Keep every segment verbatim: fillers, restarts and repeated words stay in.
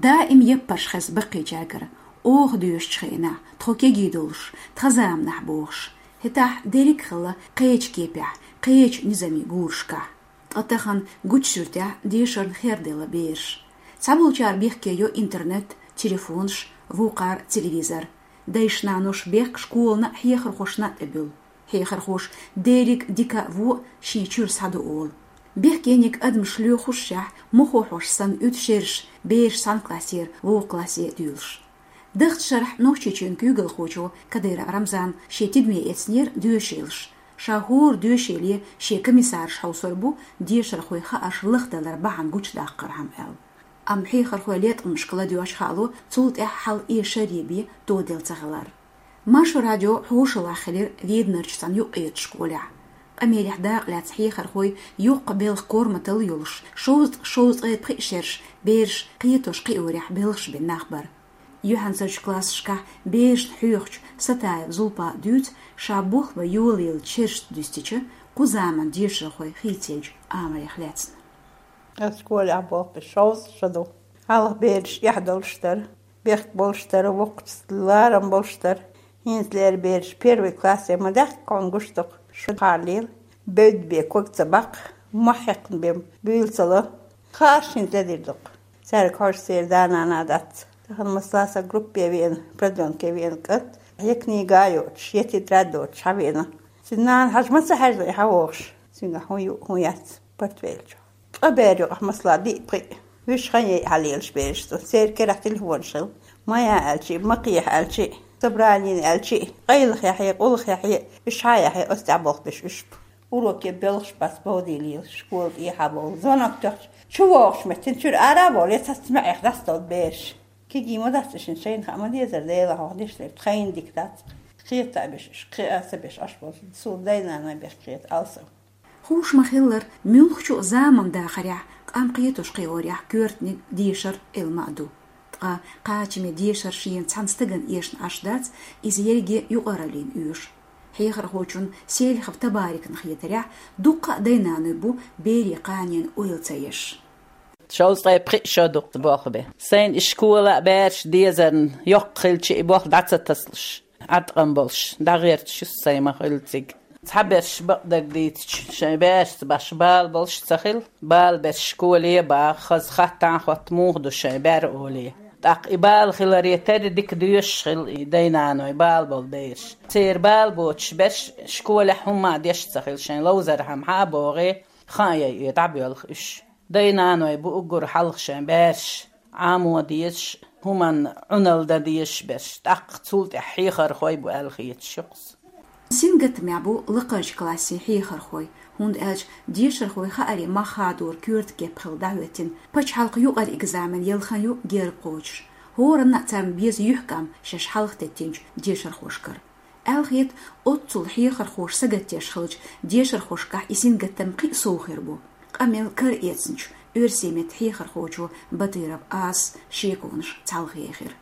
Даим яппарш хеза баккхийчаьргара, оха доьшучу хенахь, тхо кегий долуш, тхан заманахь бохуш. ХӀетахь дерриг а хилла кхечу кепехь, кхечу низамийн гурашкахь. Ткъа тахана гучу суьртехь дешарна херделла бераш. Цхьаболчара бехке йо интернет, телефонаш, вукхара телевизор. Дайша-наноша бехк школана а, хьехархошна а тӀебуьллу. Хьехархоша дерриг а дика а, вон а шен чуьра схьадо олу. Бехкениг адамаш лоьхушшехь, мохо хьош санна уьду шераш, бераш цхьана классера вукху классе а дуьйлуш. Даханчу шарахь Нохчийчоьнан куьйгалхочо Кадыров Рамзана шен тидаме эцнера доьшийлаш. Ша хӀора доьшийле шен комиссараш хьовсур бу, дешархойн хаарш лахдалар бахьана гучудаккхархьама аьлла. Амма хьехархойн латкъамашка ладоьгӀча хаало, цул тӀаьхьа хьал эшаре бен тоделла ца хилар. Маршо радио хьошалгӀахь хилира Веданарчу цхьана юккъерчу школехь. Къамелехь дакъа лаьцна хьехархой йоккха белхан корматалла йолуш, шовзткъа, шовзткъе пхиъ шераш бераш кхетош-кхиорехь белхаш бина нах бара. Юьхьанцарчу классашкахь берашна хьоьхучу Сатаева Зулпа дуьйцу, ша болх бан йолаеллачу шерашца дуьстича, кху заманан дешархой хийцаеллачу амалех лаьцна. Ас школехь болх беш шовзткъа шо ду. Хьалха бераш эхь долуш дара, бехк болуш дара, воккхачу ларам болуш дара. ХӀинца лера бераш первый классе ма даьхкина гуш ду-кх, шу хьаллийла, бевдда бен ког ца баккха, мохь хьекхна бен буьйла ца ло. Хаарш хӀинца ледийр ду-кх. Цаьрга хьожуш церан да-нана дац. Тахана масала сан группе веана, продлёнке веана кӀант, я книга йоцуш, я тетрадь доцуш хьавеана. Цуьнан нана хьажа ма ца хьаьжна и хьан вогӀуш. Цуьнгахь хӀун ю, хӀун яц, портфель чу. Ткъа бер юкъахь масала диъ-пхиъ, вуьш хан яйа хьалелаш бераш ду. Церан керахь телефонаш хилла. Ма яа аьлчи, ма кхехьа аьлчи, собранина аьлчи, къайлахъяхье, къуллахъяхье, уьш хьаяхье, оцу тӀехь болх беш уьш бу. Уроке боьлхуш бац бовдийлийла, школа тӀехьа бовла. Звонок тоьхча, чу вогӀуш меттина чуьра ара а вовла, я цац маьӀех дӀасадовла бераш. Кегий ма дац и шина, шайна хаа ма дезара, Делан хьох деш дерг тхайна дика дац. Кхета а беш, уьш кхиа а ца беш Ӏаш болчу, суна дай-наной бехк хета алсам. Хууш ма-хиллара, муьлххачу а заманан дахарехь, къам кхетош-кхиорехь коьртаниг дешар Ӏилма а ду. Ткъа кхачаме дешар шена цхьана стагана эшна Ӏаш дац, иза ерриге юкъараллина оьшу. Хьехархочун Селихов Табарикна хетарехь, дуккха а дай-наной бу берийн кханенан ойла ца еш. Шовзткъе пхиъ шо ду-кх болх бен. Сайна и школа а, бераш дезарна йоккха хилча, и болх дӀа ца тасалуш, Ӏаткъам болуш, дӀагӀерташ ю сайн ма-хиллара цига. Цхьаберш бакъдерг дийцича, шайн берашца башха бала болуш ца хилла. Бала берш школе а баха, хаза хаттарш а хотту, муха ду шайн бер олий. ТӀаккха и бала хиларе терра дика доьшуш хилла и дай-наной, бала болу бераш. Церан бала боцуш берш школехь хӀумма а деш ца хилла, шайн ловзархьама хьа а богӀий, хан а яйий, дӀабоьлху уьш. Дай-наной бу уггар хьалха шайн бераш Ӏамо дезаш, хӀуманна Ӏуналла дан дезаш берш, тӀаккха цул тӀаьхьа хьехархой бу аьлла хеташ ю-кх сан. Сингаттамехь бу лакхарчу классийн хьехархой, хӀунда аьлча дешархойн хаарийн мах хадоран коьрта кеп хилла дӀахӀоьттина, пачхьалкхан юкъара экзамен яла хан ю герга кхочуш. ХӀоранна а царна беза юьхькӀам шаьш хьалха теттинчу дешархошкара. Аьлла хета, оццул хьехархоша сагатдеш хиллачу дешархошкахь и сингаттам кхин а сов хир бу. Къамел кара эцначу оьрсийн меттан хьехархочо Батыров Асас шеконаш цхьалха ехира.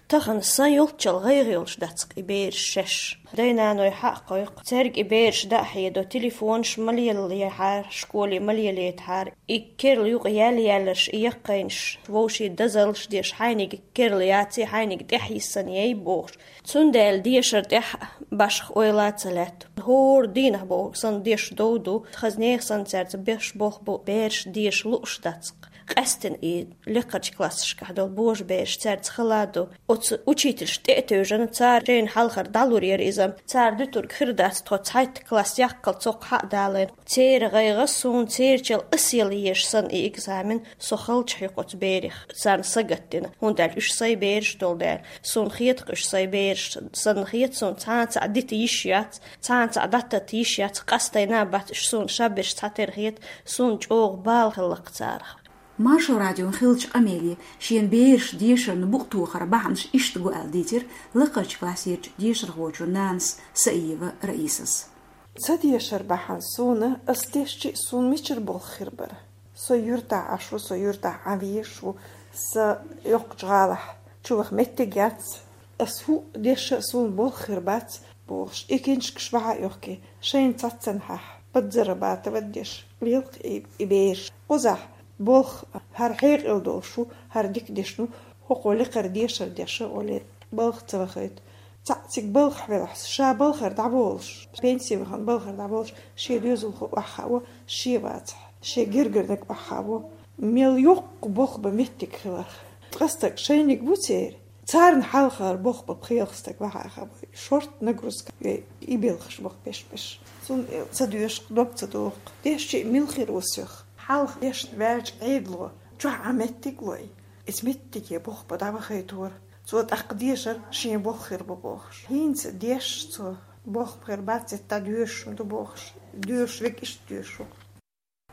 Тахана сан йолччалла гӀайгӀа йолуш дац-кх и бераш шаьш. Дай-наной хьа а кхойкху, цаьрга и бераш дӀа а хьедо, телефонаш ма лелаяхьара, школе ма лелаятахьара. И керла юкъа яьлла-яьлларш, и яккхийнаш, вовшийн дозаллаш деш, хьайниг керла яций, хьайниг тӀаьхьа йисина яй бохуш. Цундела дешар тӀехь башха ойла а ца лаьтта. ХӀора дийнахь бохург санна деш дов ду, хаза нехан санна цаьрца беш болх бу, бераш деша лууш дац-кх. Къаьсттина и лекхарчу классашкахь долу божабераш цаьрца хала а ду. Оцу учительш тӀе а тевжина, цара шайна хьалхара дӀалур яра иза, цара дуьтург хир дац, тхо цхьайтта класс яккхал цоккха хьа а далийна. Церан гӀайгӀа суна, церачал ас яла езаш санна и экзамен, со халчахь ю-кх оцу берех, царна сагатдина, хӀунда аьлча уьш сайн бераш долу дела. Суна хета-кх уьш сайн бераш санна хета, суна цхьана цхьаъ дита йиш яц, цхьана цхьаъ дӀататта йиш яц, къастайна а бац уьш суна шаберш цхьатера хета, суна чӀогӀа бала хилла-кх царах. Маршо радион хиллачу къамеле шен бераш дешарна букъ тохар бахьанаш иштта гу аьлла дийцира лакхарчу классерчу дешархочун нанас Саиева Раисас. Ца дешар бахьана суна, ас дешча а суна мичара болх хир бара. Со юьртахь Ӏаш ву, со юьртахь Ӏан везаш ву, сан йоккхачу гӀалахь чуваха меттиг яц. Ас хӀуъа дешча а суна болх хир бац, бохуш, и киншкаш бахьа а йохкий, шайна цхьаццанхьа подзарабатывать деш лелхи и, и бераш. Кхузахь Болх хӀара хьекъал долуш ву, хӀара дика дешна ву, хӀокхо лекхара дешар деш а олий, балха ца вахийта. Цхьаъ цига балхахь велахь, ша балхара дӀаболуш, пенси вахана балхара дӀаболуш, шен доьзалхо охьахаво, шен вацахь, шен гергарниг охьахаво. Мел йоккха болх бан меттиг хиларх. Ткъа стаг шайниг бу церан. Царна хьалхара болх бан пхелагӀа стаг вахьа хабой. Шортта нагрузка йой, и белхаш баха беш-беш. Цунна ца доьшуш, дог ца доху. Дешча а мила хир ву соьх? Хьалха дешна ваьлча Ӏедало, чохь Ӏа меттиг лой. Иза меттиге болх бан дӀавахийтора. Цо тӀаккха дешар шен болх хир бу бохуш. ХӀинца деш цо, болх хир бац, цетта доьшуш ду бохуш. Доьшуш верг иштта доьшуш ву.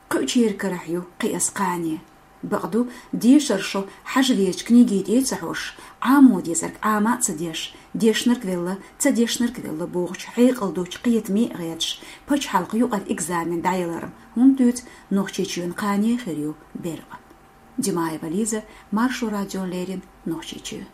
Кхуьучеран карахь ю кхиаза кхане. Бакъду, дешар шо хьажа везачу книги тӀе а ца хьожуш, Ӏамо дезарг Ӏама а ца деш, дешнарг велла, ца дешнарг велла бохучу хьекъал долчу кхетаме а гӀерташ, пачхьалкхан юкъара экзамен дӀаяларна хӀунда дуьйцу, Нохчийчоьнан кхане хир ю беркъа. Димаева Лиза, Маршо радиона леррина, Нохчийчоь.